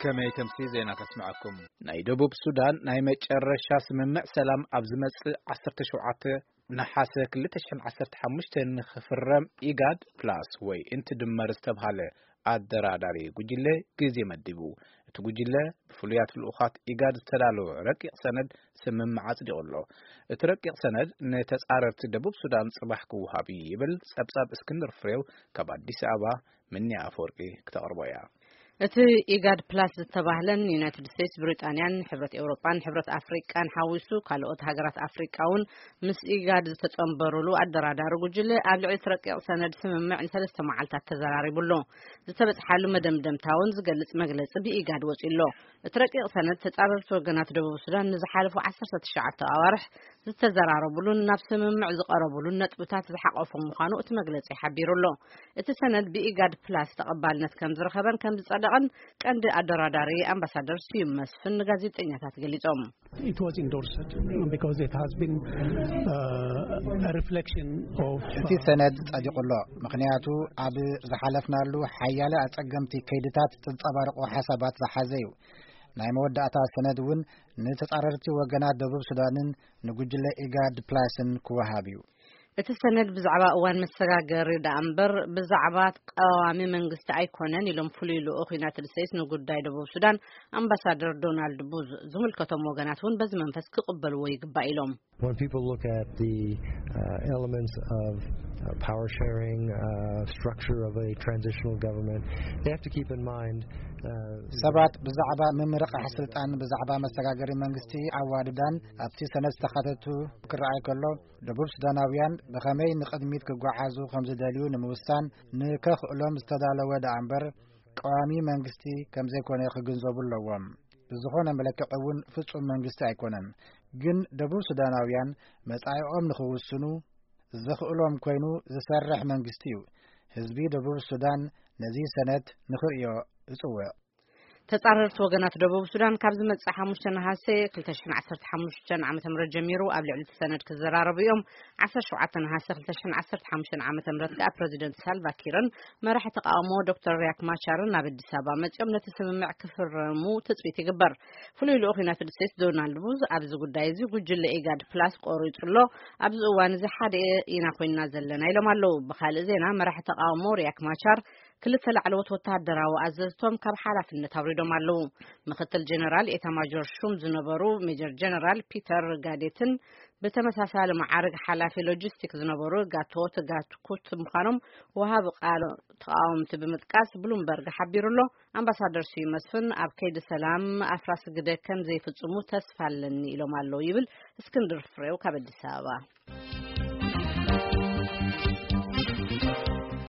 ከመይ ተምሲ ዜና ከስምዐኩም። ናይ ደቡብ ሱዳን ናይ መጨረሻ ስምምዕ ሰላም ኣብ ዝመጽእ ዓሰርተ ሸውዓተ ነሓሰ ክልተ ሽሕን ዓሰርተ ሓሙሽተን ንኽፍረም ኢጋድ ፕላስ ወይ እንትድመር ዝተብሃለ ኣደራዳሪ ጉጅለ ግዜ መዲቡ። እቲ ጉጅለ ብፍሉያት ልኡኻት ኢጋድ ዝተዳለወ ረቂቕ ሰነድ ስምምዕ ኣጽዲቑ ኣሎ። እቲ ረቂቕ ሰነድ ንተጻረርቲ ደቡብ ሱዳን ጽባሕ ክወሃብ እዩ ይብል ጸብጻብ እስክንድር ፍሬው ካብ ኣዲስ ኣበባ። ምንያ ኣፈወርቂ ክተቕርቦ እያ። እቲ ኢጋድ ፕላስ ዝተባህለን ዩናይትድ ስቴትስ፣ ብሪጣንያን ሕብረት ኤውሮጳን ሕብረት ኣፍሪቃን ሓዊሱ ካልኦት ሃገራት ኣፍሪቃ እውን ምስ ኢጋድ ዝተጸንበሩሉ ኣደራዳሪ ጉጅለ ኣብ ልዕሊ እቲ ረቂቕ ሰነድ ስምምዕ ንሰለስተ መዓልታት ተዘራሪቡ ኣሎ። ዝተበጽሓሉ መደምደምታ እውን ዝገልጽ መግለጺ ብኢጋድ ወጺኡ ኣሎ። እቲ ረቂቕ ሰነድ ተጻረርቲ ወገናት ደቡብ ሱዳን ንዝሓለፉ ዓሰርተ ትሽዓተ ኣዋርሕ ዝተዘራረቡሉን ናብ ስምምዕ ዝቐረቡሉን ነጥብታት ዝሓቆፈ ምዃኑ እቲ መግለጺ ሓቢሩ ኣሎ። እቲ ሰነድ ብኢጋድ ፕላስ ተቐባልነት ከም ዝረኸበን ከም ዝጸደቐን ቀንዲ ኣደራዳሪ ኣምባሳደር ስዩም መስፍን ንጋዜጠኛታት ገሊጾም። It was endorsed because it has been uh, a reflection of እቲ ሰነድ ጸዲቑ ኣሎ፣ ምኽንያቱ ኣብ ዝሓለፍናሉ ሓያለ ኣጸገምቲ ከይድታት ዝንጸባረቑ ሓሳባት ዝሓዘ እዩ። ናይ መወዳእታ ሰነድ እውን ንተጻረርቲ ወገናት ደቡብ ሱዳንን ንጉጅለ ኢጋድ ፕላስን ክወሃብ እዩ። እቲ ሰነድ ብዛዕባ እዋን መሰጋገሪ ደኣ እምበር ብዛዕባ ቀዋሚ መንግስቲ ኣይኮነን ኢሎም ፍሉይ ልኡኽ ዩናይትድ ስቴትስ ንጉዳይ ደቡብ ሱዳን ኣምባሳደር ዶናልድ ቡዝ። ዝምልከቶም ወገናት እውን በዚ መንፈስ ክቕበልዎ ይግባእ ኢሎም። When people look at the uh, elements of uh, power sharing, uh, structure of a transitional government, they have to keep in mind uh, ሰባት ብዛዕባ ምምርቓሕ ስልጣን፣ ብዛዕባ መሰጋገሪ መንግስቲ ኣዋድዳን ኣብቲ ሰነድ ዝተኻተቱ ክረኣይ ከሎ፣ ደቡብ ሱዳናውያን ብኸመይ ንቕድሚት ክጓዓዙ ከም ዝደልዩ ንምውሳን ንከኽእሎም ዝተዳለወ ደኣ እምበር ቀዋሚ መንግስቲ ከም ዘይኮነ ክግንዘቡ ኣለዎም። ብዝኾነ መለክዒ እውን ፍጹም መንግስቲ ኣይኮነን። ግን ደቡብ ሱዳናውያን መጻኢኦም ንኽውስኑ ዘኽእሎም ኮይኑ ዝሰርሕ መንግስቲ እዩ። ህዝቢ ደቡብ ሱዳን ነዚ ሰነድ ንኽርእዮ እጽውዕ። ተጻረርቲ ወገናት ደቡብ ሱዳን ካብ ዝመጽእ ሓሙሽተ ነሓሰ ክልተ ሽሕን ዓሰርተ ሓሙሽተን ዓመተ ምህረት ጀሚሩ ኣብ ልዕሊ እቲ ሰነድ ክዘራረቡ እዮም። ዓሰርተ ሸውዓተ ነሓሰ ክልተ ሽሕን ዓሰርተ ሓሙሽተን ዓመተ ምህረት ከኣ ፕረዚደንት ሳልቫ ኪርን መራሒ ተቃውሞ ዶክተር ሪያክ ማቻርን ናብ ኣዲስ ኣበባ መጺኦም ነቲ ስምምዕ ክፍረሙ ትጽቢት ይግበር። ፍሉይ ልኡኽ ዩናይትድ ስቴትስ ዶናልድ ቡዝ ኣብዚ ጉዳይ እዚ ጉጅለ ኢጋድ ፕላስ ቆሪጹ ኣሎ። ኣብዚ እዋን እዚ ሓደ ኢና ኮይንና ዘለና ኢሎም ኣለዉ። ብኻልእ ዜና መራሒ ተቃውሞ ሪያክ ማቻር ክልተ ላዕለዎት ወተሃደራዊ ኣዘዝቶም ካብ ሓላፍነት ኣውሪዶም ኣለዉ። ምክትል ጀነራል ኤታማጆር ሹም ዝነበሩ ሜጀር ጀነራል ፒተር ጋዴትን ብተመሳሳሊ መዓርግ ሓላፊ ሎጂስቲክ ዝነበሩ ጋቶት ጋትኩት ምዃኖም ወሃቢ ቃል ተቃወምቲ ብምጥቃስ ብሉምበርግ ሓቢሩ ኣሎ። ኣምባሳደር ስዩም መስፍን ኣብ ከይዲ ሰላም ኣፍራስ ግደ ከም ዘይፍጽሙ ተስፋ ኣለኒ ኢሎም ኣለዉ ይብል እስክንድር ፍሬው ካብ ኣዲስ ኣበባ።